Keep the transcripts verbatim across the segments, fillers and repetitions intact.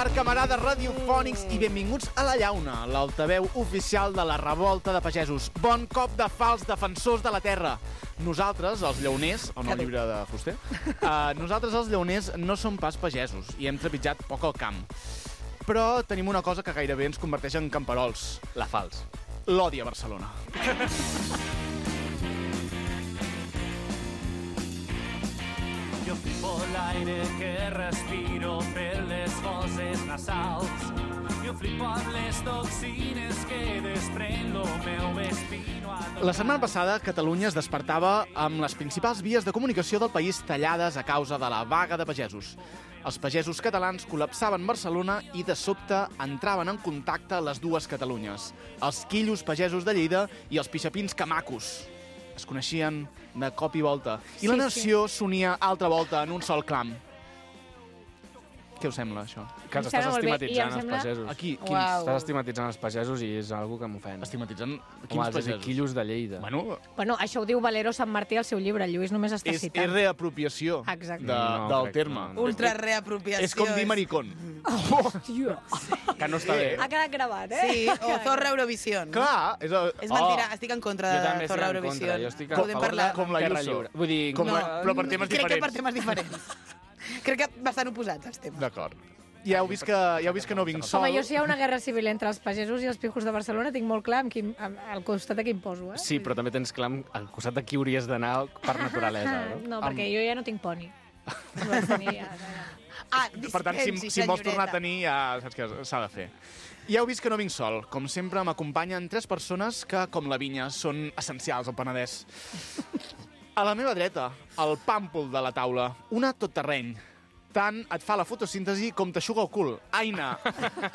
quart, camarades radiofònics, i benvinguts a La Llauna, l'altaveu oficial de la revolta de pagesos. Bon cop de fals defensors de la terra. Nosaltres, els llauners, o no el llibre de Fuster, uh, nosaltres els llauners no som pas pagesos i hem trepitjat poc al camp. Però tenim una cosa que gairebé ens converteix en camperols. La fals. L'odi a Barcelona. Jo flipo l'aire que respiro per les fosses nasals. Jo flipo amb les toxines que desprèn lo meu espino. La setmana passada, Catalunya es despertava amb les principals vies de comunicació del país tallades a causa de la vaga de pagesos. Els pagesos catalans col·lapsaven Barcelona i de sobte entraven en contacte les dues Catalunyes, els quillos pagesos de Lleida i els pixapins camacos. Es coneixien de cop i volta, i la nació s'unia altra volta en un sol clam. Què us sembla, això? Que els estàs estigmatitzant els pagesos. Aquí, quins? Estàs estigmatitzant els pagesos i és algo que m'ofèn. Estigmatitzant quins Home, pagesos? quillos de Lleida. Bueno, Bueno, això ho diu Valero Sant Martí al seu llibre. El Lluís només està és, citant. és reapropiació Exacte. de, No, del crec- terme. no, no. Ultra reapropiació. És com dir maricón. Tio. Que no està bé. Ha quedat gravat, eh? Sí, o Zorra Eurovisión. Clar, és... El... És mentira, estic en contra Jo també de estic Zorra en contra. Eurovisión. Jo estic a Podem favor parlar. de Com la terra Ayuso. lliure. Vull dir, Com No, la... Però per temes Crec que per diferents. temes diferents. Crec que bastant oposats, els temes. D'acord. Ja heu vist que, ja heu vist que no vinc sol. Home, jo si hi ha una guerra civil entre els pagesos i els pijos de Barcelona tinc molt clar amb qui, amb, al costat de qui em poso, eh? Sí, però també tens clar al costat de qui hauries d'anar per naturalesa, no? No, perquè jo ja no tinc poni. No vaig tenir, ja, ja. Ah, Per tant, si, si em vols tornar a tenir, ja saps què s'ha de fer. Ja heu vist que no vinc sol. Com sempre, m'acompanyen tres persones que, com la vinya, són essencials al Penedès. A la meva dreta, el pàmpol de la taula, una tot terreny. Tant et fa la fotosíntesi com t'aixuga el cul. Aina,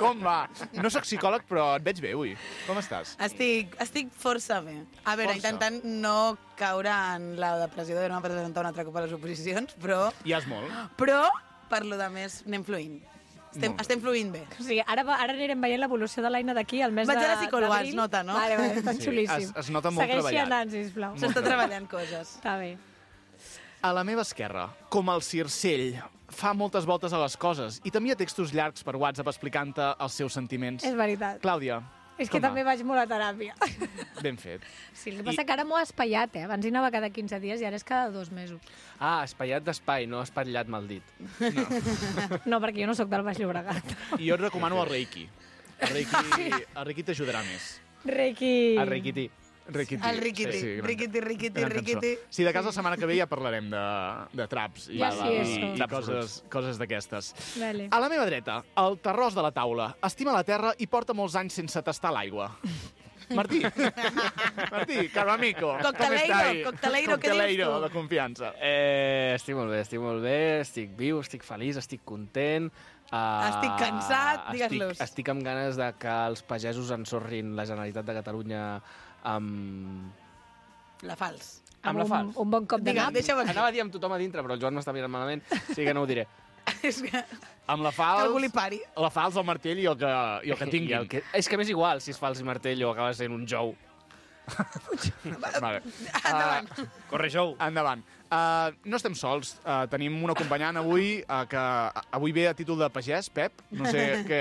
com va? No sóc psicòleg, però et veig bé avui. Com estàs? Estic, estic força bé. A veure, Força. intentant no caure en la depressió de no presentar un altre cop a les oposicions, però, Ja és molt. però per lo de més anem fluint. Estem, Molt bé. estem fluint bé. O sigui, ara, va- ara anirem veient l'evolució de l'Aina d'aquí al mes Vaig de a la psicòloga, d'abril. es nota, no? Vale, vale, està Sí, xulíssim. es- es nota molt Segueixi treballat. anant, sisplau. S'està treballant coses. Està bé. A la meva esquerra, com el circell, fa moltes voltes a les coses i t'envia textos llargs per WhatsApp explicant-te els seus sentiments. És veritat. Clàudia, És que com va? també vaig molt a teràpia. Ben fet. Sí, el que passa que ara m'ho ha espaiat, eh? Abans hi anava cada quinze dies i ara és cada dos mesos. Ah, espaiat d'espai, no espatllat mal dit. No, perquè jo no sóc del Baix Llobregat. I jo et recomano el Reiki. El Reiki, el Reiki t'ajudarà més. Reiki... El riquití. Riquití. El riquití, gran- riquití, riquití, gran cançó. riquití. Sí, de cas la setmana que ve ja parlarem de, de traps i, Ja i, sí, i, eso. i coses, coses d'aquestes. Vale. A la meva dreta, el terròs de la taula. Estima la terra i porta molts anys sense tastar l'aigua. Martí, Martí, caro amigo. Cocteleiro, com estai? cocteleiro, què dius Cocteleiro tu? de confiança. Eh, estic molt bé, estic molt bé, estic viu, estic feliç, estic content. Uh, Estic cansat, digues-los. Estic, estic amb ganes de que els pagesos ensorrin la Generalitat de Catalunya amb... La fals. amb la un, fals. un bon cop de Digue'm, nap. deixa-ho aquí. Anava a dir amb tothom a dintre, però el Joan m'està mirant malament, sí que no ho diré. És que Amb la que fals, algú li pari. la fals, el martell i el que, i el que I tinguin. el que... És que m'és igual si és fals i martell o acaba sent un jou. Vale. Endavant. Uh, Corre, jou. endavant. Uh, no estem sols. Uh, tenim un acompanyant avui uh, que avui ve a títol de pagès, Pep. No sé què...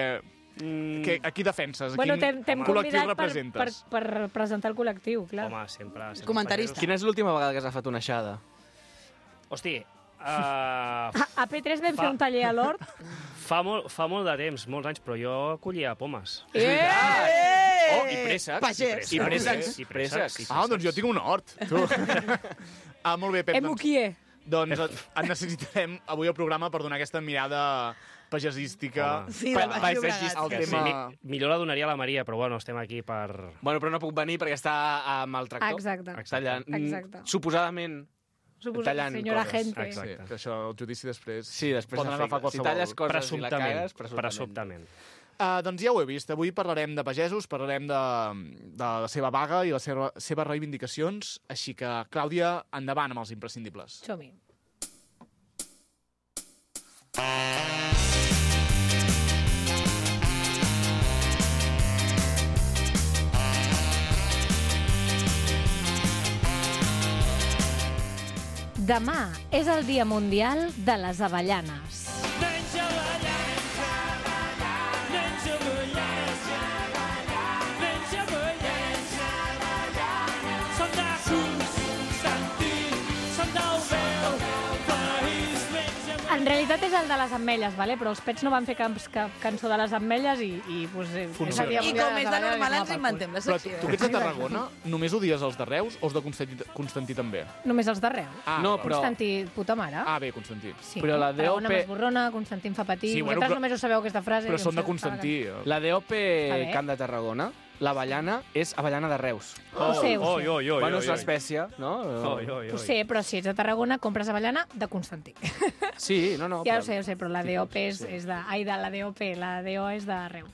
Mm, Que, a qui defenses? A Bueno, quin t'hem t'hem col·lectiu convidat per, per, representes? per presentar el col·lectiu, clar. Home, sempre... sempre Comentarista. Quina és l'última vegada que has agafat una aixada? Hosti, uh, A, a P tres vam Fa- fer un taller a l'Hort. fa, molt, fa molt de temps, molts anys, però jo collia pomes. Eh! Oh, i préssecs. Pagès. I préssecs, préssecs. i préssecs. i Ah, doncs jo tinc un hort. Tu. ah, molt bé, Pep. Doncs, Emuquier. doncs et, et necessitarem avui al programa per donar aquesta mirada pagesística. Home. Sí, del pa- Baix paisatgista, Llobregat. el Que sí, tema... mi, millor la donaria a la Maria, però bueno, estem aquí per... Bueno, però no puc venir perquè està amb el tractor. Exacte. Tallant. Exacte. Suposadament. Suposo, tallant senyora coses. gente. Exacte. Sí, que això, el judici després... Sí, després poden s'afecta. agafar Si qualsevol... talles coses i la Presumptament. cagues, presumptament. Presumptament. Uh, doncs ja ho he vist. Avui parlarem de pagesos, parlarem de, de la seva vaga i les seva, seves reivindicacions. Així que, Clàudia, endavant amb els imprescindibles. Som-hi. Demà és el Dia Mundial de les Avellanes. En realitat és el de les ametlles, vale? Però els Pets no van fer cap, cap cançó de les ametlles i, i pues, eh, és el dia I mundial com de és les de ametlles, normal, i ens no, inventem la Però secció. tu que ets de Tarragona, només odies els de Reus o els de Constantí, Constantí també? Només els de Reus. Ah, No, val. però- Constantí, puta mare. Ah, bé, Constantí. Sí, però la Tarragona D O P m'esborrona, Constantí em fa patir. Sí, bueno, Vosaltres però- només ho sabeu aquesta frase. Però jo són em de sé- Constantí. La D O A P ver. Camp de Tarragona, l'avellana és avellana de Reus. Ho sé, ho Oi, sé. oi, oi, Bueno, oi, és oi. l'espècie, no? Oi, oi, Ho oi. sé, però si ets de Tarragona, compres avellana de Constantí. Sí, no, no. Ja però- ho sé, ho sé, però la D O P és, Sí. és de... Ai, de la D O P, la D O és de Reus.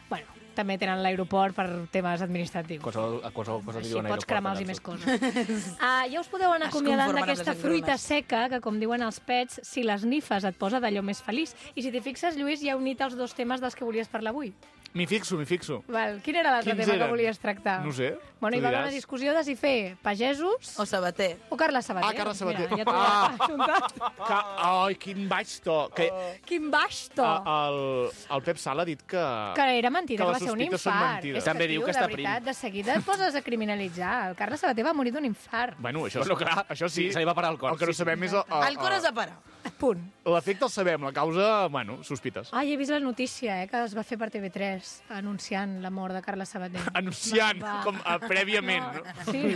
Bueno, també tenen l'aeroport per temes administratius. Qualsevol, a qualsevol cosa que Així diuen pots aeroport, cremar-los i allà més surt. coses. Uh, ja us podeu anar Es acomiadant conformen amb d'aquesta les fruita engrunes. seca que, com diuen els Pets, si les nifes et posa d'allò més feliç. I si t'hi fixes, Lluís, ja ha unit els dos temes dels que volies parlar avui. M'hi fixo, m'hi fixo. Val. Quin era l'altre Quins tema eren? que volies tractar? No ho sé. Bueno, hi tu va haver diràs. una discussió de si fer pagesos O Sabater. o Carles Sabater. Ah, Carles Sabater. Mira, ja t'ho Ah. he ajuntat. Que, ai, quin baix to. Que, Quin baix to. a, el, el Pep Sala ha dit que... Que era mentida, que que, les va ser un sospites són infart. mentides. És També tio, diu que de està veritat, prim. de seguida et poses a criminalitzar. El Carles Sabater va morir d'un infart. Bueno, això, Bueno, clar, això sí. se li va parar el cor. El que no Sí, sí. sabem és... El, El cor has de parar. Punt. L'efecte el sabem, la causa, bueno, sospites. Ai, he vist la notícia, eh, que es va fer per T V tres, anunciant la mort de Carles Sabater. Anunciant, Va, va. com uh, prèviament. No. Sí,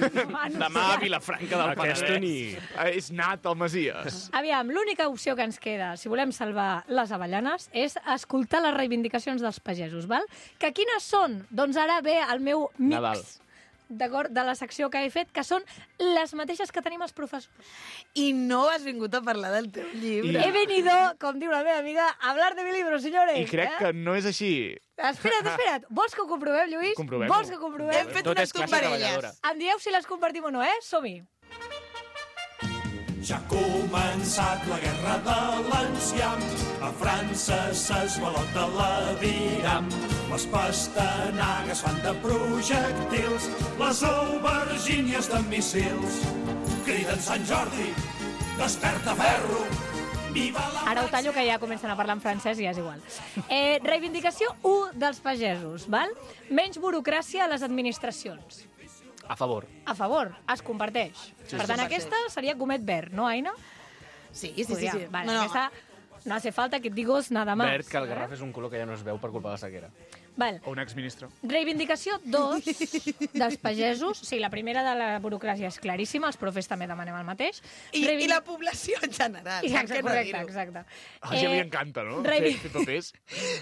Demà a Vilafranca del Aquesta Penedès. nit. Eh, És nat el Masies. Aviam, l'única opció que ens queda, si volem salvar les avellanes, és escoltar les reivindicacions dels pagesos, val? Que quines són? Doncs ara ve el meu mix Nadal. d'acord, de la secció que he fet, que són les mateixes que tenim els professors. I no has vingut a parlar del teu llibre. He venido, com diu la meva amiga, a hablar de mi libro, señores. I crec eh? que no és així. Espera't, espera't. Vols que ho comprovem, Lluís? Comprovem-ho. Vols que ho comprovem? Hem fet Tot unes és classe tombarelles. treballadora. Em dieu si les compartim o no, eh? Som-hi. Ja ha començat la guerra de l'enciam, a França s'esvalota l'aviram. Les pastanagues fan de projectils, les aubergínies de míssils. Criden Sant Jordi, desperta ferro, viva la... Ara ho tallo, que ja comencen a parlar en francès i ja és igual. Eh, reivindicació u dels pagesos, val? Menys burocràcia a les administracions. A favor. A favor, es comparteix. Sí, per tant, sí. aquesta seria gomet verd, no, Aina? Sí, sí, sí. Podria. sí. Vale, no, no. aquesta no hace falta que et digos nada más. Verd, que el Garraf és un color que ja no es veu per culpa de la sequera. Val. O un exministre. Reivindicació dos dels pagesos. Sí, la primera de la burocràcia és claríssima, els profes també demanem el mateix. I, Reivindic- I la població en general. Exacte, per què no correcte, dir-ho? exacte. A la gent li encanta, no? revi- Fer, fer papers.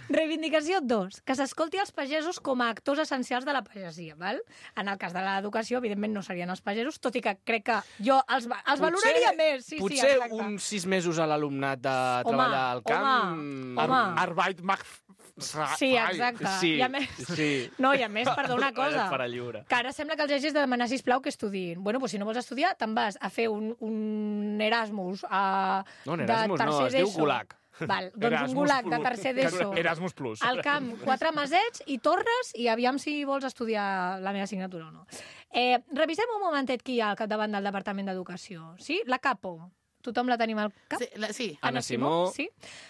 Reivindicació dos, que s'escolti els pagesos com a actors essencials de la pagesia, val? En el cas de l'educació, evidentment, no serien els pagesos, tot i que crec que jo els, va- els valoraria més. Sí, potser sí, exacte. uns sis mesos a l'alumnat de Home, treballar al camp... home, home. Arbeit macht... Sí, exacte. Sí, I a més, sí. No, i a més, perdó, una cosa. Per a lliure. Que ara sembla que els hagis de demanar, sisplau, que estudiïn. Bueno, doncs si no vols estudiar, te'n vas a fer un, un Erasmus a, No, un de Erasmus no, tercer es diu d'ESO. Gulag. Val, doncs Erasmus un gulag de Plus. tercer d'ESO. Erasmus Plus. Al camp, quatre mesets i torres, i aviam si vols estudiar la meva assignatura o no. Eh, revisem un momentet qui hi ha al capdavant del Departament d'Educació. Sí? La Capo. Tothom la tenim al cap? Sí, la, sí. Anna Simó. Sí.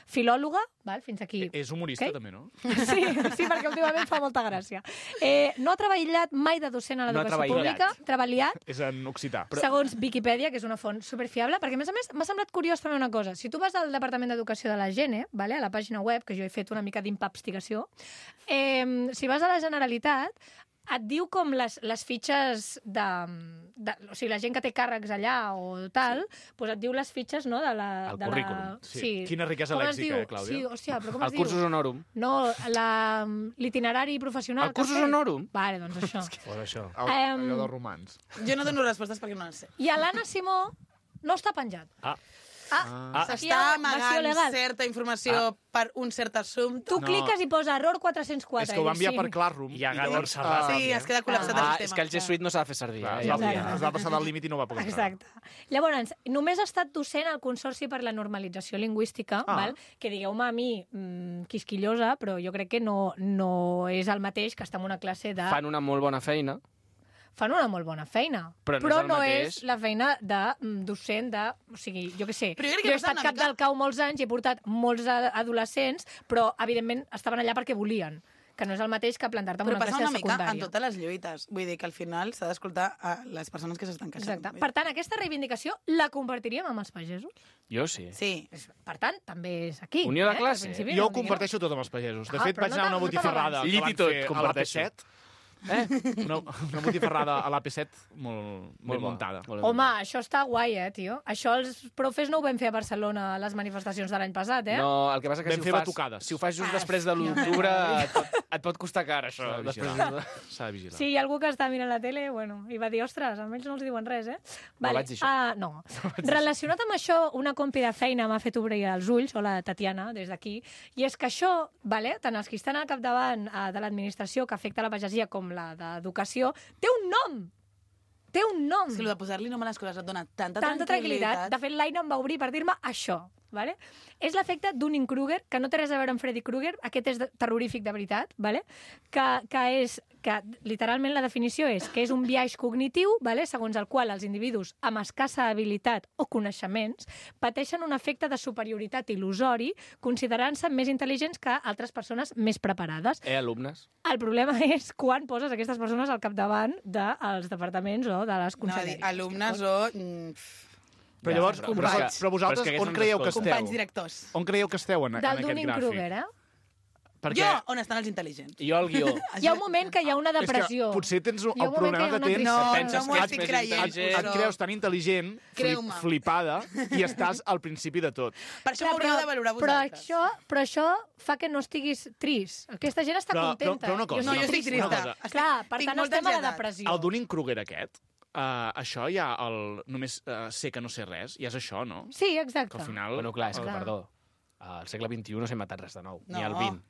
Filòloga, val? Fins aquí. És humorista, Ok. també, no? Sí, sí, perquè últimament fa molta gràcia. Eh, no ha treballat mai de docent a No ha l'educació treballat. pública, treballat, És en occità. però... segons Viquipèdia, que és una font superfiable, perquè, a més a més, m'ha semblat curiós també una cosa. Si tu vas al Departament d'Educació de la Gene, vale, a la pàgina web, que jo he fet una mica d'impapstigació, eh, si vas a la Generalitat, et diu com les, les fitxes de, de... O sigui, la gent que té càrrecs allà o tal, sí. Doncs et diu les fitxes, no?, de la... El de currículum. La... Sí. Quina riquesa Com es lèxica, diu? eh, Clàudia? Sí, hòstia, però com El es diu? cursus honorum. No, la- l'itinerari professional. El que has cursus fet. honorum? Vale, doncs això. Fora això. El, Em- allò dels romans. Jo no dono respostes perquè no les sé. I a l'Anna Simó no està penjat. Ah. Ah, aquí hi S'està ha invasió amagant legal. certa informació per un cert assumpte. Tu No. cliques i posa error quatre cents quatre. És que ho va i dius, enviar sí. per Classroom. I a Gat llavors, Montserrat, ah, Sí, es queda col·lapsat el Ah, sistema. és que el G Suite no s'ha de fer servir. clar, Eh? es, va, Exacte. es va passar del límit i no va poder entrar. Exacte. Llavors, només ha estat docent al Consorci per la Normalització Lingüística, Ah. val? Que digueu-me a mi, mmm, quisquillosa, però jo crec que no, no és el mateix que estar en una classe de... Fan una molt bona feina. fan una molt bona feina. Però no és el no mateix. és la feina de mm, docent de... O sigui, jo què sé, Però jo crec que jo he passa estat una cap mica- del cau molts anys i he portat molts a- adolescents, però, evidentment, estaven allà perquè volien. que no és el mateix que plantar-te en Però una passa classe una de mica en secundària. totes les lluites. Vull dir que al final s'ha d'escoltar a les persones que s'estan queixant. Exacte. Per tant, aquesta reivindicació la compartiríem amb els pagesos? Jo sí. Sí. Per tant, també és aquí. Unió de eh? classe. Al principi Jo no ho em diguin comparteixo tot amb els pagesos. De Ah, fet, però vaig no anar a una te- no te botifarrada Llit que i van tot, fer a l'A P comparteixo. set. Eh? Una, una botifarrada a l'A P set molt, molt bo. muntada. Molt Home, bo. això està guai, eh, tio? Això els profes no ho vam fer a Barcelona a les manifestacions de l'any passat, eh? No, el que passa que Vam si fer ho, fas, batucades. si ho fas just Ah, després de l'u d'octubre et, pot, et pot costar car, això. S'ha de Després vigilar. de... S'ha de vigilar. Sí, hi ha algú que està mirant la tele, bueno, i va dir, ostres, a ells no els diuen res, eh? vaig dir això. Ah, no. Relacionat amb això, una compi de feina m'ha fet obrir els ulls, o la Tatiana, des d'aquí, i és que això, vale, tant els que estan al capdavant eh, de l'administració que afecta la pagesia com la d'educació, té un nom! Té un nom! És que el de posar-li nom a les coses et dona tanta, Tanta tranquil·litat. De fet, l'Aina em va obrir per dir-me això. Vale? És l'efecte Dunning-Kruger, que no té res a veure amb Freddy Krueger, aquest és de, terrorífic de veritat, vale? que, que és que literalment la definició és que és un biaix cognitiu, vale? Segons el qual els individus amb escassa habilitat o coneixements pateixen un efecte de superioritat il·lusori, considerant-se més intel·ligents que altres persones més preparades. Eh, alumnes? El problema és quan poses aquestes persones al capdavant dels departaments o de les No, va dir, conselleries. alumnes o... mm, Però llavors, però- però, però- però vosaltres però és que on aquests creieu ens que escolten. esteu? companys directors. On creieu que esteu en, en Del aquest gràfic? Dunning-Kruger, eh? Perquè Jo, on estan els intel·ligents? I jo el guió. Hi ha un moment que hi ha una és que depressió. potser tens un, Hi ha el un moment problema que, que hi ha una tens... No, tristesa. penses no m'ho que estic ets més creient. intel·ligent. Et però- creus tan intel·ligent, flip, Creu-me. flipada, i estàs al principi de tot. Per això Clar, m'hauríeu de valorar però vosaltres. això, però això fa que no estiguis trist. Aquesta gent està Però- però- contenta. però una cosa, Jo No, jo estic estic una trista. cosa. Estic- Clar, per tinc tant molta estem a la ansietat. depressió. El Dunning-Kruger aquest, uh, això ja el només uh, sé que no sé res, ja és això, no? Sí, exacte. Que al final... Bueno, clar, és que, Clar. perdó, al segle vint-i-u no s'ha inventat res de nou, No. ni al vint.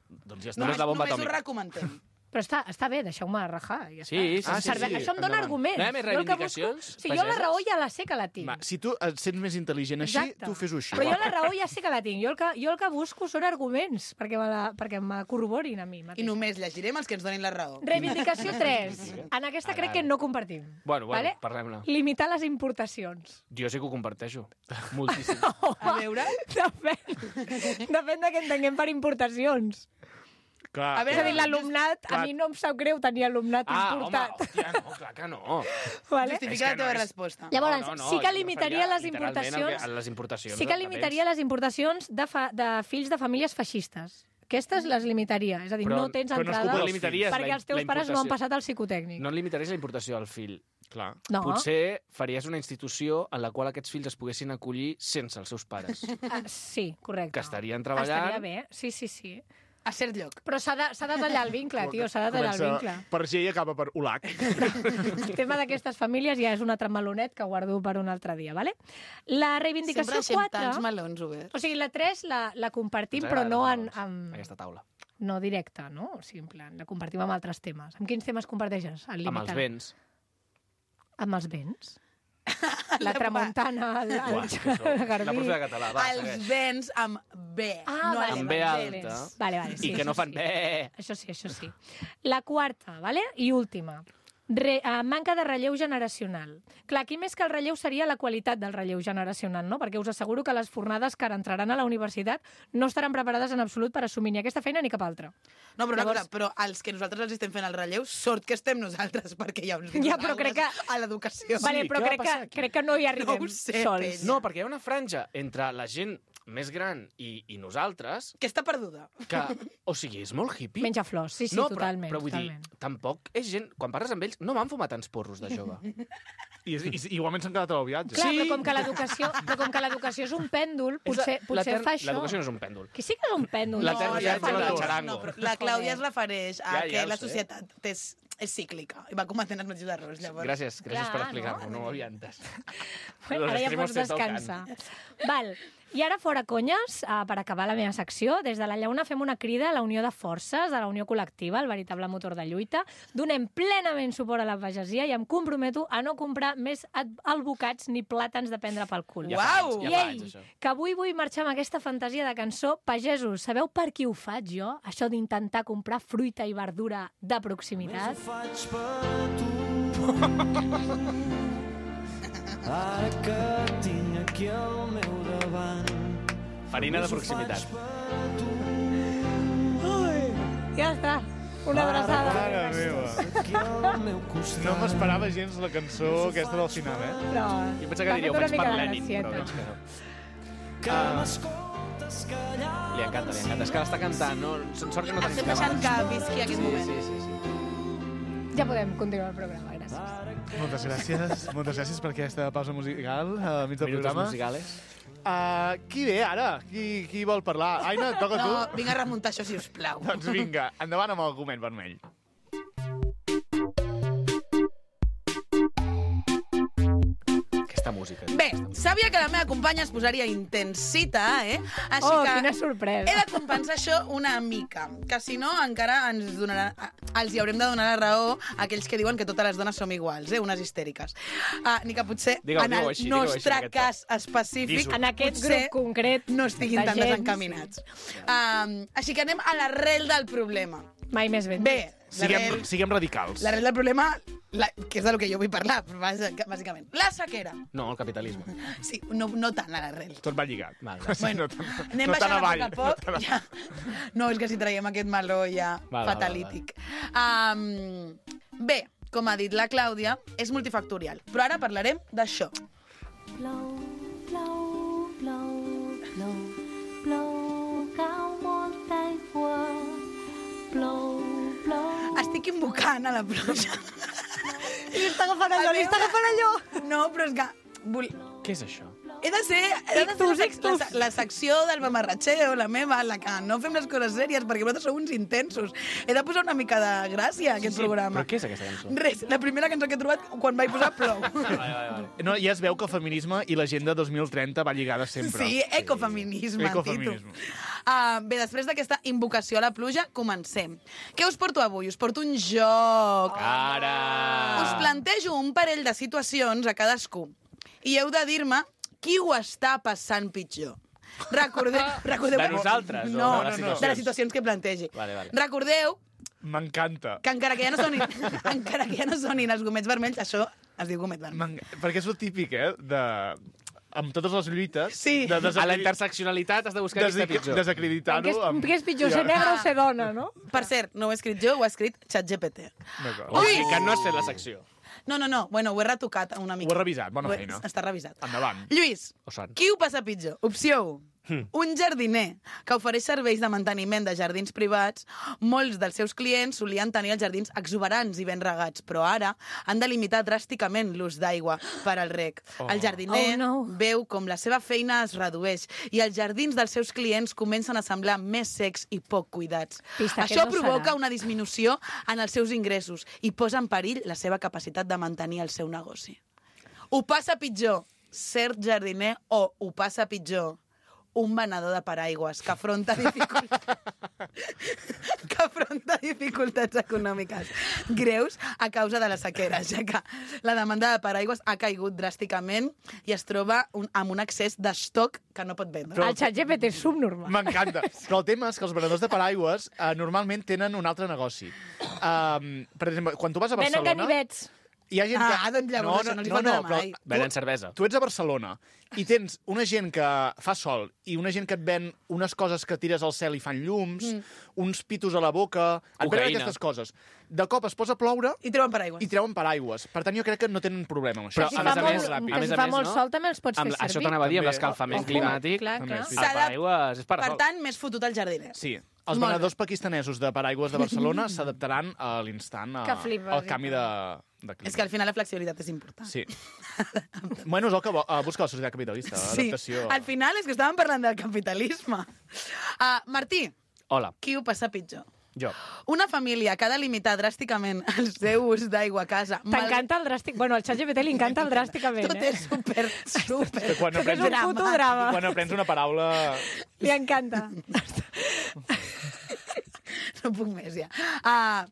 Doncs ja està. Només Només, la bomba només ho atòmica. recomentem. Però està, està bé, deixeu-me rajar. Ja Sí, està. sí, Ah, sí, Serve- sí. Això em dona endavant. arguments. No hi ha més Jo el que reivindicacions, busco- Sí, jo la pageses? raó ja la sé que la tinc. Va, si tu et sents més intel·ligent així, Exacte. tu fes-ho així. Però va. jo la raó ja sé que la tinc. Jo el que, jo el que busco són arguments perquè me, la, perquè me corroborin a mi I mateix. només llegirem els que ens donin la raó. Reivindicació tres. En aquesta crec que no compartim. Bueno, bueno, Vale? parlem-ne. Limitar les importacions. Jo sí que ho comparteixo. Moltíssim. A veure... Depèn. Depèn de què entenguem per importacions. Clar, A És veure, a dir, l'alumnat, a clar. mi no em sap greu tenir alumnat Ah, home, importat. hòstia, no, clar que no. Vale? Justifica És la que teva no és- resposta. Llavors, no, no, no, sí que jo limitaria referia les literalment importacions... a les importacions. Sí que de limitaria les importacions de, fa, de fills de famílies feixistes. Aquestes les limitaria. És a dir, Però- no tens però no es entrada culpa dels limitaries perquè la- els teus la pares no han importació. passat al psicotècnic. No limitaries la importació al fill. clar. No. Potser faries una institució en la qual aquests fills es poguessin acollir sense els seus pares. Ah, sí, correcte. Que estarien treballant. Estaria bé, sí, sí, sí. A cert lloc. Però s'ha de, s'ha de tallar el vincle, tio, s'ha de tallar el vincle. per G i acaba per U L A C. El tema d'aquestes famílies ja és un altre melonet que guardo per un altre dia, vale? La Sempre reivindicació deixem quatre... tants melons oberts. O sigui, la tres la, la compartim, Ens però agraden no els en, melons, en, Aquesta taula. no directe, no? O sigui, en plan, la compartim amb altres temes. Amb quins temes comparteixes? El Amb els limitant? béns. Amb els béns? La tramuntana, el, el, Uah, el, això. La Garbí... profe de català, va, Els segueix. béns amb B. Ah, no vale. Amb B evangelis. alta. Vale, vale, sí, I que no això fan sí. bé. Això sí, això sí. La quarta, vale? I última. Re, uh, manca de relleu generacional. Clar, aquí més que el relleu seria la qualitat del relleu generacional, no? Perquè us asseguro que les fornades que ara entraran a la universitat no estaran preparades en absolut per assumir ni aquesta feina ni cap altra. No, però una Llavors- cosa, però els que nosaltres els estem fent el relleu, sort que estem nosaltres, perquè hi ha uns Ja, però crec que- a l'educació. vale, però què va crec passar que, aquí? crec que no hi arribem No ho sé, sols. penya. No, perquè hi ha una franja entre la gent més gran i, i nosaltres Que està perduda. que, o sigui, és molt hippie. Menja flors, sí, sí, no, totalment. Però, però vull totalment. dir, tampoc és gent... Quan parles amb ells, no van fumar tants porros de jove. I, i, i igualment s'han quedat al viatge. Clar, Sí. però com que l'educació, però com que l'educació és un pèndol, potser, És la- potser l'etern- fa això. L'educació no és un pèndol. Que sí que és un pèndol. L'etern no, viatge ja fa del anys. xarango. No, però la Clàudia es Joder. refereix a Ja, ja que ho la sé. societat és, és cíclica i va cometent els mateixos errors, llavors. Gràcies, gràcies Clar, per explicar-m'ho, no? no ho havia entès. Bueno, Los ara ja extremos pots se tocan. descansar. Val. I ara, fora conyes, uh, per acabar la meva secció, des de la Llauna fem una crida a la unió de forces, a la unió col·lectiva, el veritable motor de lluita. Donem plenament suport a la pagesia i em comprometo a no comprar més ad- albocats ni plàtans de prendre pel cul. Ja fa Uau! anys, ja I fa ei, anys, això. que avui vull marxar amb aquesta fantasia de cançó. Pagesos, sabeu per qui ho faig jo? Això d'intentar comprar fruita i verdura de proximitat? faig per tu. Ara que tinc aquí al meu davant. Farina de proximitat. Faig per tu. Ja està. Una abraçada. Mare meva. No m'esperava gens la cançó aquesta del final, eh? No, Jo pensava que diríeu, m'ha vaig fet per una mica de Lenin, però gracieta. veig que no. Li encanta, li encanta. És que l'està cantant, no? Sort que no tenim Estem deixant que visqui aquest Sí, moment. sí, sí, sí. Ja podem continuar el programa, gràcies. Moltes gràcies. Moltes gràcies per aquesta pausa musical al mig del Minutos programa. musicales. Uh, qui ve ara? Qui, qui vol parlar? Aina, et toca No, tu? vinga a remuntar això, si us plau. Doncs vinga, endavant amb el argument vermell. Aquesta música. Bé, sabia que la meva companya es posaria intensita, eh? Així Oh, que quina sorpresa. he de compensar això una mica, que si no encara ens donarà, els hi haurem de donar la raó a aquells que diuen que totes les dones som iguals, eh? Unes histèriques. Uh, ni que potser Digue-ho, en el digue-ho així, digue-ho així, nostre en aquest cas específic Dis-ho. En aquest potser grup concret no estiguin de tan gent, desencaminats. Uh, així que anem a l'arrel del problema. Mai més ben. Bé, Siguem, l'arrel siguem radicals. l'arrel del problema, la, que és del que jo vull parlar, bàsicament. La sequera. No, el capitalisme. Sí, no, no tant a l'arrel. Tot va lligat. Val, val. Sí, no, tant- Anem no baixant tan a avall. poc a poc. No tan Ja. No, és que si traiem aquest meló ja Val, val, fatalític. Um, bé, com ha dit la Clàudia, és multifactorial. Però ara parlarem d'això. Plou, plou, plou, plou, plou, cau molta aigua. Plou, plou. Estic invocant a la pluja. I li està agafant allò, li està agafant allò. No, però és que... Vol... Què és això? He de ser, he de fer la, sec la, la secció del mamarratxeo, la meva, la que no fem les coses sèries, perquè vosaltres sou uns intensos. He de posar una mica de gràcia a aquest Sí, programa. però què és aquesta cançó? Res, la primera cançó que he trobat quan vaig posar plou. Vale, vale, vale. No, ja es veu que el feminisme i l'agenda dos mil trenta va lligada sempre. Sí, ecofeminisme, Ecofeminisme. Tito. Uh, bé, després d'aquesta invocació a la pluja, comencem. Què us porto avui? Us porto un joc. Ara! Us plantejo un parell de situacions a cadascú i heu de dir-me qui ho està passant pitjor. Recordeu... recordeu De nosaltres, o No, de les no, no, situacions? de les situacions que plantegi. Vale, vale. Recordeu M'encanta. que encara que ja no sonin, encara que ja no sonin els gomets vermells, això es diu gomet vermell. M'en- Perquè és el típic, eh? De... Amb totes les lluites... Sí. De A la interseccionalitat has de buscar qui està Desacri- pitjor. Què Desacreditar-ho. és, amb- què és pitjor, ser negre o ser dona, no? Per cert, no ho he escrit jo, ho ha escrit ChatGPT. D'acord. O sigui que no has fet la secció. No, no, no, bueno, ho he retocat una mica. Ho he revisat, bona Ho he- feina. Està revisat. Endavant. Lluís, O sant. qui ho passa pitjor? Opció u. Un jardiner que ofereix serveis de manteniment de jardins privats. Molts dels seus clients solien tenir els jardins exuberants i ben regats, però ara han de limitar dràsticament l'ús d'aigua per al reg. Oh. El jardiner Oh, no. veu com la seva feina es redueix i els jardins dels seus clients comencen a semblar més secs i poc cuidats. Pista, Això aquest no provoca serà. una disminució en els seus ingressos i posa en perill la seva capacitat de mantenir el seu negoci. Ho passa pitjor ser jardiner o ho passa pitjor un venedor de paraigües que afronta dificultats, que afronta dificultats econòmiques greus a causa de la sequera, ja que la demanda de paraigües ha caigut dràsticament i es troba un, amb un excés d'estoc que no pot vendre. El xat G P T és subnormal. M'encanta. Però el tema és que els venedors de paraigües eh, normalment tenen un altre negoci. Um, per exemple, quan tu vas a Venen Barcelona... ganivets. Hi ha gent que... Ah, doncs llavors això no els hi faltarà mai. però Venen cervesa. Tu ets a Barcelona i tens una gent que fa sol i una gent que et ven unes coses que tires al cel i fan llums, mm. uns pitos a la boca, et venen Cocaïna. aquestes coses. De cop es posa a ploure I treuen paraigües. i treuen paraigües. Per tant, jo crec que no tenen problema amb això. Però, Si a fa més a molt, més, que a si més a fa més, molt no? sol també els pots Amb, fer això servir. t'anava a dir, amb També. l'escalfament Ojo. climàtic. Clar, També, clar. sí. El S'ha de- paraigües és per Per sol. tant, més fotut el jardiner. Sí. Els Molt venedors pakistanesos de paraigües de Barcelona s'adaptaran a l'instant a- Que flipes, al canvi de, de clima. És que al final la flexibilitat és important. Sí. bueno, és el que vo- uh, busca la societat capitalista, Sí, adaptació. al final és que estàvem parlant del capitalisme. Uh, Martí, Hola, qui ho passa pitjor? jo. Una família que ha de limitar dràsticament el seu ús d'aigua a casa. mal- T'encanta el dràstic... Bueno, al xat G P T li encanta el dràsticament, Tot eh? és super, super... Quan Tot és aprens, un puto drama. quan aprens una paraula... Li encanta. No puc més, ja. Uh,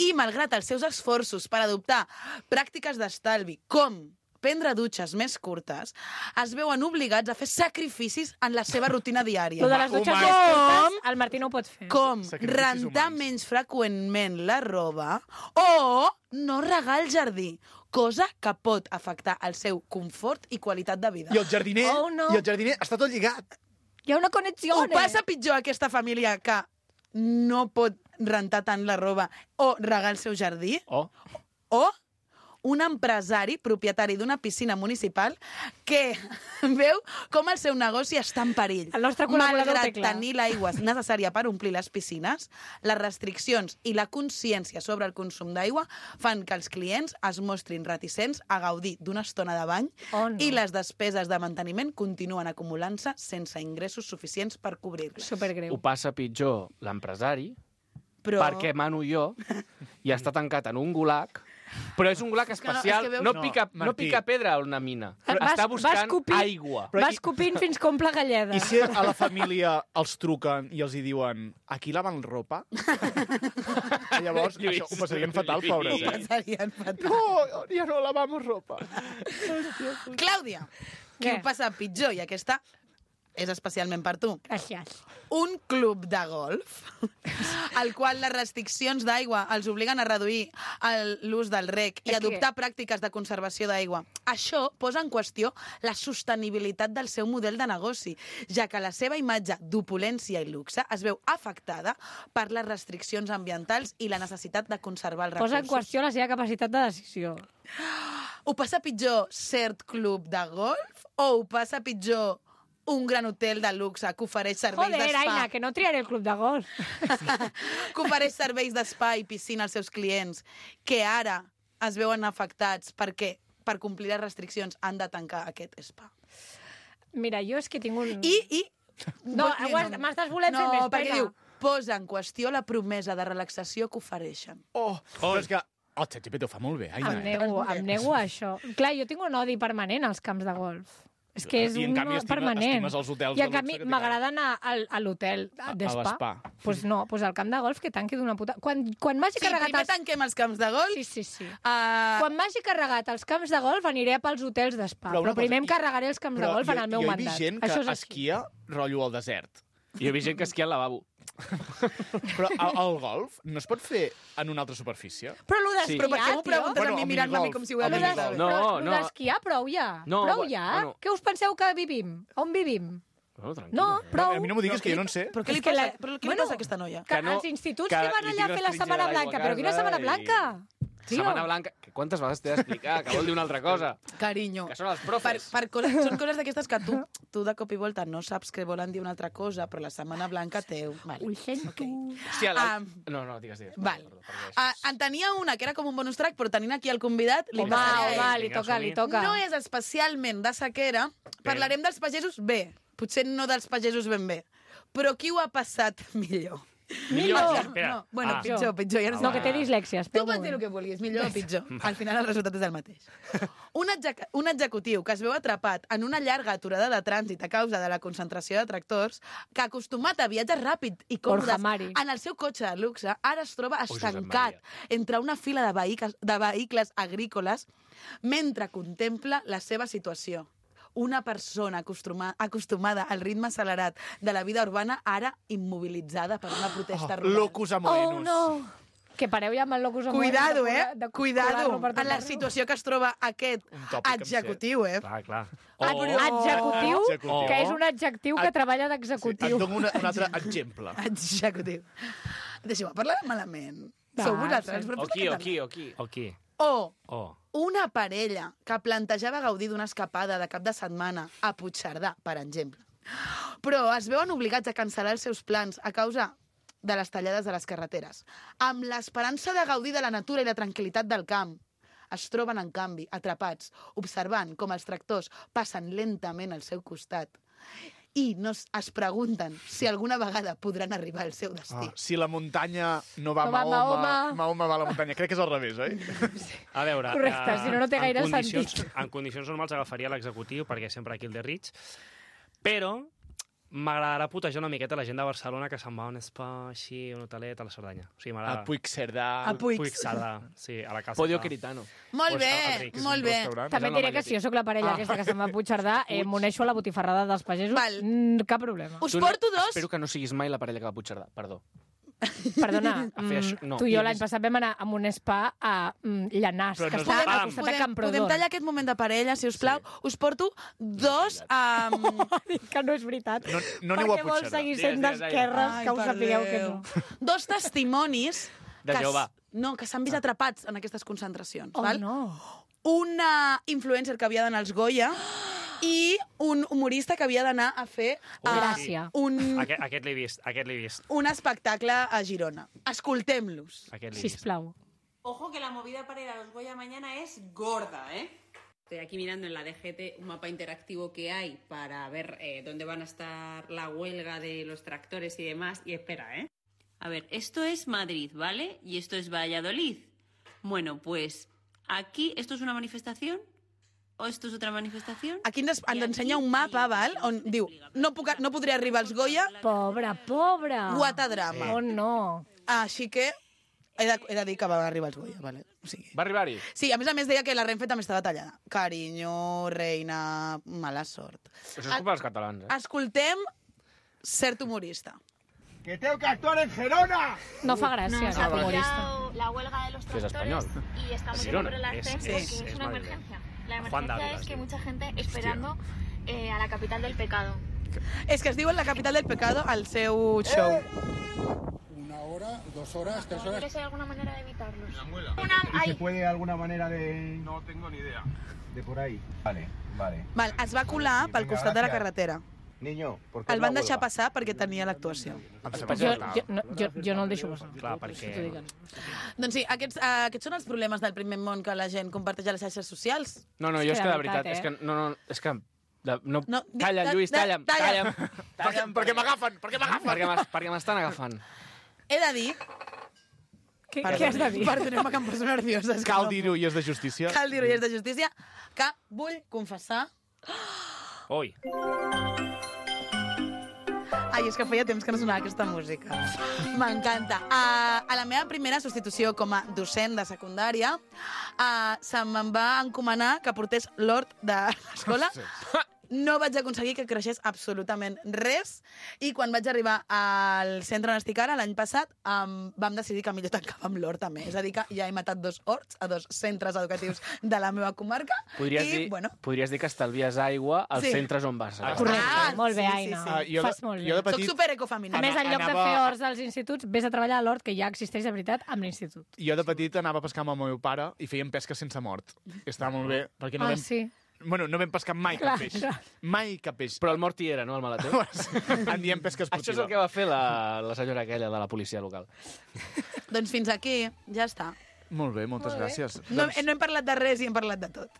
I, malgrat els seus esforços per adoptar pràctiques d'estalvi, com prendre dutxes més curtes, es veuen obligats a fer sacrificis en la seva rutina diària. Lo de les dutxes Humans. més curtes, el Martí no ho pot fer. Com Sacrificis rentar humans. menys freqüentment la roba o no regar el jardí, cosa que pot afectar el seu confort i qualitat de vida. I el jardiner, Oh, no. i el jardiner està tot lligat. Hi ha una connexió. Ho passa pitjor aquesta família que no pot rentar tant la roba o regar el seu jardí. Oh. O un empresari, propietari d'una piscina municipal, que veu com el seu negoci està en perill. El nostre col·laborador Malgrat té clar. tenir l'aigua necessària per omplir les piscines, les restriccions i la consciència sobre el consum d'aigua fan que els clients es mostrin reticents a gaudir d'una estona de bany Oh, no. i les despeses de manteniment continuen acumulant-se sense ingressos suficients per cobrir-les. Supergreu. Ho passa pitjor l'empresari, Però... perquè mano jo, i està tancat en un gulag, però és un gulag que no, especial, és que veus- no, No, pica, no Martí. pica pedra a una mina. Vas- Està vas buscant escopint- aigua. Però Va i- escopint fins que omple galleda. I si a la família els truquen i els hi diuen aquí laven ropa? Llavors, Lluís, això ho passarien fatal, Lluís, pobres. eh? Eh? Passarien fatal. No, ja no lavamos ropa. Clàudia, qui Què? ho passa pitjor, i aquesta és especialment per tu. Gràcies. Un club de golf al qual les restriccions d'aigua els obliguen a reduir el- l'ús del rec i És que- adoptar pràctiques de conservació d'aigua. Això posa en qüestió la sostenibilitat del seu model de negoci, ja que la seva imatge d'opulència i luxe es veu afectada per les restriccions ambientals i la necessitat de conservar els Posa en recursos. qüestió la seva capacitat de decisió. Ho passa pitjor cert club de golf o ho passa pitjor un gran hotel de luxe que ofereix serveis Joder, d'espa? Aina, que no triaré el club de golf. Que ofereix serveis d'espa i piscina als seus clients, que ara es veuen afectats perquè per complir les restriccions han de tancar aquest spa. Mira, jo és que tinc un... I, i... No, ho has- m'estàs volent fer no, més, perquè vinga. diu, posa en qüestió la promesa de relaxació que ofereixen. Oh, però és que el ChatGPT ho fa molt bé, Aina. Em eh? nego, em nego a això. Clar, jo tinc un odi permanent als camps de golf. És que és I en un canvi odi estima- permanent. estimes els hotels I de en canvi luxe que m'agrada anar al, a l'hotel A- a d'espa. l'espa. Pues no, pues al camp de golf que tanqui d'una puta... Quan, quan m'hagi Sí, carregat... primer Els... tanquem els camps de golf. Sí, sí, sí. Uh, Quan m'hagi carregat els camps de golf aniré pels hotels d'espa. Però Però, una primer cosa, em carregaré els camps de Però golf en el meu jo, mandat. Jo he vist gent que Això és així. esquia rotllo al desert. Jo he vist gent que esquia al lavabo. Però el, el golf no es pot fer en una altra superfície? Però lo Sí. d'esquiar, però per què m'ho tio? preguntes Bueno, a mi el mirant-me a mi minigolf, com si ho el hagués Lo dit? minigolf. No, però lo no. d'esquiar, prou ja. No, prou bu- ja. bueno. Què us penseu que vivim? On vivim? No, tranquil. No, prou. A mi no m'ho diguis, que jo no en sé. Però què li És que passa, la- però què li bueno, passa a aquesta noia? Que, Que no- els instituts que que, van li allà a tinc fer la restringida Setmana l'aigua a Blanca. Però quina casa Setmana i- Blanca? Tio. Setmana Blanca. Que quantes vegades t'he d'explicar? Que vol dir una altra cosa. Carinyo. Que són els Per, profes. per coses, són coses d'aquestes que tu, tu de cop i volta no saps que volen dir una altra cosa, però la Setmana Blanca teu. Vale. Ho sento. Okay. Hòstia, la... Um, no, no, digues, digues. Val. Perdó, perdó, Ah, en tenia una que era com un bonus track, però tenint aquí el convidat... Li Home, passaré a ell. home, li Vinga, toca, li som-hi. toca. No és especialment de sequera. Parlarem dels pagesos bé. Potser no dels pagesos ben bé. Però qui ho ha passat millor? Millor. Espera. No, bueno, Ah. pitjor, pitjor. Ja no, sé. No, que té dislèxia, Tu espera un pots dir el moment. que vulguis, millor o pitjor. Al final el resultat és el mateix. Un, exec un executiu que es veu atrapat en una llarga aturada de trànsit a causa de la concentració de tractors, que acostumat a viatges ràpid i Borja còmodes Mari. en el seu cotxe de luxe, ara es troba Josep estancat Maria. entre una fila de vehicles, de vehicles agrícoles mentre contempla la seva situació. Una persona acostuma, acostumada al ritme accelerat de la vida urbana, ara immobilitzada per una protesta rural. Locus amoenus. Oh, no. Que pareu ja amb el locus amoenus. Cuidado, de eh? colar- de Cuidado colar-lo per tot en la arreu. situació que es troba aquest Un tòpic, em sé. executiu, eh? Clar, clar. Ah, però- Adjectiu, Adjectiu. que és un adjectiu que Ad- treballa Et d'executiu. dono una, un altre exemple. Executiu. Deixeu-me parlar malament. Va, Sou vosaltres, sí. els O profes qui, de o català. qui, o qui? O qui? O O. una parella que plantejava gaudir d'una escapada de cap de setmana a Puigcerdà, per exemple. Però es veuen obligats a cancel·lar els seus plans a causa de les tallades de les carreteres. Amb l'esperança de gaudir de la natura i la tranquil·litat del camp, es troben, en canvi, atrapats, observant com els tractors passen lentament al seu costat i no es, es pregunten si alguna vegada podran arribar al seu destí. Ah, si la muntanya no va a No va a Mahoma, Mahoma. Mahoma va a la muntanya. Crec que és al revés, oi? A veure... Correcte, si no, no té en gaire condicions, sentit. En condicions normals agafaria l'executiu, perquè sempre aquí el de Rich, però m'agradarà putejar una miqueta la gent de Barcelona que se'n va a un spa així, un hotelet a la Cerdanya. O sigui, m'agrada. A Puigcerdà. A Puig. Puigcerdà, sí, a la casa. Podio està. Queritano. Molt Pues, bé, Enric, és molt un bé. restaurant. També És et diré el que si jo sóc la parella Ah. aquesta que se'n va a Puigcerdà, eh, m'uneixo a la botifarrada dels pagesos, Val. mm, cap problema. Us Tu porto no, dos... Espero que no siguis mai la parella que va a Puigcerdà, perdó. Perdona, A fer això, mm, no. tu i jo l'any passat vam anar a un spa a mm, Llanàs, Però que no és està spa. al costat de podem, Camprodon. podem tallar aquest moment de parella, si us plau. Sí. Us porto dos... Um... Que no és veritat. No, no aneu a Perquè vols Puigcerdà. seguir Digues, sent digues, d'esquerres, Ai, que us per sapigueu que Déu. no. Dos testimonis... De que s- Jehovà. No, que s'han vist atrapats en aquestes concentracions. Oh, val? no. Una influencer que havia d'anar als Goya i un humorista que havia d'anar a fer uh, Gràcia. un, Aquest, aquest l'he vist, aquest l'he vist. un espectacle a Girona. Escoltem-los. Aquest l'he vist. Sisplau. Ojo que la movida para ir a los Goya mañana es gorda, ¿eh? Estoy aquí mirando en la D G T un mapa interactivo que hay para ver eh, dónde van a estar la huelga de los tractores y demás. Y espera, ¿eh? A ver, esto es Madrid, ¿vale? Y esto es Valladolid. Bueno, pues aquí, ¿esto es una manifestación? ¿O esto es otra manifestación? Aquí ens, ens ensenya un mapa, val? On diu, no, puc, no podria arribar als Goya, Pobra, pobra. guata drama. Oh, no. Així que he de, he de dir que va arribar als Goya, vale? O sigui, Va arribar-hi? sí, a més a més deia que la Renfe també estava tallada. Carinyo, reina, mala sort. Això és culpa dels catalans, eh? Escoltem cert humorista. ¡Que tengo que actuar en Gerona! No fa gràcia, Nos no, ha humorista. pillado la huelga de los Que es tractores español. y estamos Es yendo Girona. por el Es- ascenso es- porque es, es una Madrid. emergencia. La Juan emergencia Dávila, es que sí. mucha gente esperando eh, a la capital del pecado. És que es diu en la capital del pecado al seu show. Una hora, dos horas, tres horas. ¿Quieres hay alguna manera de evitarlos? muela. Una, ¿Y se hay, puede de alguna manera de...? No tengo ni idea. De por ahí. Vale, vale. Val, es va colar pel Vinga, costat de la gràcies. carretera. Niño, ¿por qué El la van deixar huelga? passar perquè tenia l'actuació. Jo, jo, no, jo, jo no el deixo passar. Clar, perquè... Doncs sí, aquests, uh, aquests són els problemes del primer món que la gent comparteix a les xarxes socials. No, no, És jo que és de que de veritat, veritat, eh? és que... No, no, és que... De, no, No, di- calla, de- Lluís, de- talla'm, talla. talla'm. Perquè, perquè m'agafen, perquè m'agafen. Perquè m'es- perquè m'estan agafant. He de dir... Què, què has de dir? Perdoneu-me que em poso nerviosa. és que Cal no dir-ho i és de justícia. puc. Cal dir-ho i és de justícia, que vull confessar... Ui, Ai, és que feia temps que no sonava aquesta música. M'encanta. Uh, a la meva primera substitució com a docent de secundària, uh, se me'n va encomanar que portés l'hort de l'escola. No vaig aconseguir que creixés absolutament res i quan vaig arribar al centre on estic ara, l'any passat, um, vam decidir que millor tancàvem l'hort també. És a dir, que ja he matat dos horts a dos centres educatius de la meva comarca. Podries, i, dir, bueno, podries dir que estalvies aigua als Sí. centres on vas. a Correcte, Ah, molt bé, sí, sí, Aina. sí. Ah, jo, Fas de, molt bé. jo de soc petit, superecofeminista. A més, en lloc de anava- fer horts als instituts, vés a treballar a l'hort, que ja existeix de veritat, amb l'institut. jo de petit anava a pescar amb el meu pare i fèiem pesca sense mort. Estava molt bé, perquè no Ah, vam... sí. Bueno, no vam pescar mai Clar, cap peix. clar. Mai cap peix. Però el mort hi era, no, el maleter? En diem pesca Això és esportiva. el que va fer la, la senyora aquella de la policia local. Doncs fins aquí, ja està. Molt bé, moltes Molt bé. gràcies. No, Doncs, no hem parlat de res i hem parlat de tot.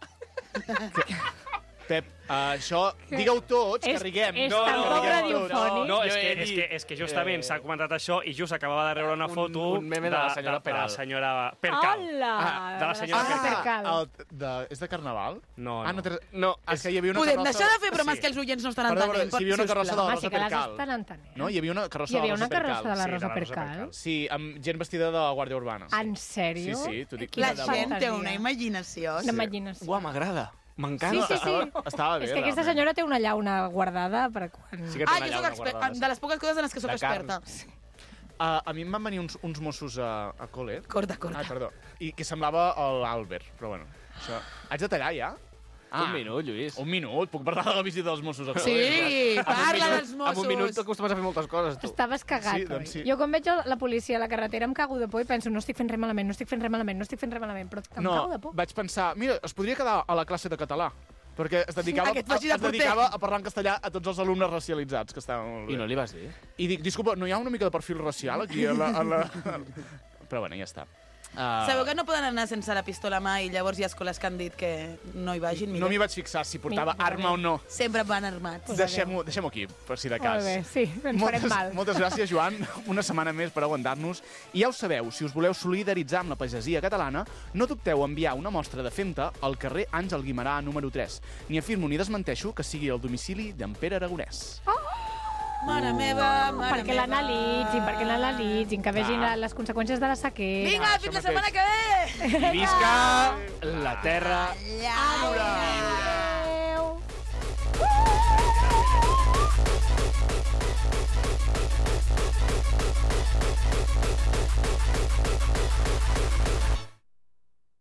Pep, uh, això, digue-ho tots, que És- riguem. és no, tan no, poc riguem radiofònic. tots. no, és Jo he que, dit, és, que, és que justament eh, s'ha comentat això i just acabava de rebre una un- foto un meme de la senyora de, de la Peral. senyora Percal. Hola! Ah, de la senyora senyora Percal. Percal. el, de, és de Carnaval? No, Ah, no. no, té- No, és que hi havia una Podem carrossa... deixar de fer bromes Sí. que els oients no estan Perdó, entenent. però si hi havia una sisplau. carrossa de la Home, Rosa sí que les Percal. estan entenent. No? Hi havia una carrossa Hi havia de la una Rosa Percal. carrossa de la Sí, de Rosa la Rosa Percal. Percal. Sí, amb gent vestida de la Guàrdia Urbana. En sèrio? Sí, sí, t'ho dic. La Quina gent té fantasia. una imaginació. Una imaginació. Uau, m'agrada. M'encanta. Sí, sí, sí. Estava, estava bé, És que aquesta realment. senyora té una llauna guardada per quan... Sí que té Ah, una jo llauna soc experta. guardada, De les poques coses en les que sóc De carn. experta. Uh, a mi em van venir uns, uns Mossos a, a col·le. Corta, corta. Ah, perdó. I que semblava l'Albert, però bueno. Això... Haig de tallar, ja? Un minut, Lluís. Un minut. Puc parlar de la visita dels Mossos a col·le? Sí, parla dels Mossos. En un minut t'acostumes a fer moltes coses, tu. Estaves cagat, Sí, oi? doncs sí. Jo quan veig la policia a la carretera em cago de por i penso no estic fent res malament, no estic fent res malament, no estic fent res malament, però em No, cago de por. vaig pensar, mira, es podria quedar a la classe de català, perquè es dedicava, Aquest faci de es porter. dedicava a parlar en castellà a tots els alumnes racialitzats, que estaven molt bé. I no li vas dir? I dic, disculpa, no hi ha una mica de perfil racial aquí a la... A la... Però bueno, ja està. Uh, Sabeu que no poden anar sense la pistola a mà i llavors hi ha escoles que han dit que no hi vagin? no Millor. m'hi vaig fixar si portava Mira, arma o no. Sempre van armats. Deixem-ho deixem aquí, per si de cas. Molt bé, sí, ens farem mal. moltes gràcies, Joan. Una setmana més per aguantar-nos. I ja ho sabeu, si us voleu solidaritzar amb la pagesia catalana, no dubteu a enviar una mostra de Fenta al carrer Àngel Guimerà número tres. Ni afirmo ni desmenteixo que sigui el domicili d'en Pere Aragonès. Mare meva, mare Perquè meva. l'analitzin, perquè l'analitzin, que vegin Clar. la- les conseqüències de la sequera. Vinga, això fins la mateix. setmana que ve! I visca la terra Adéu. Adéu.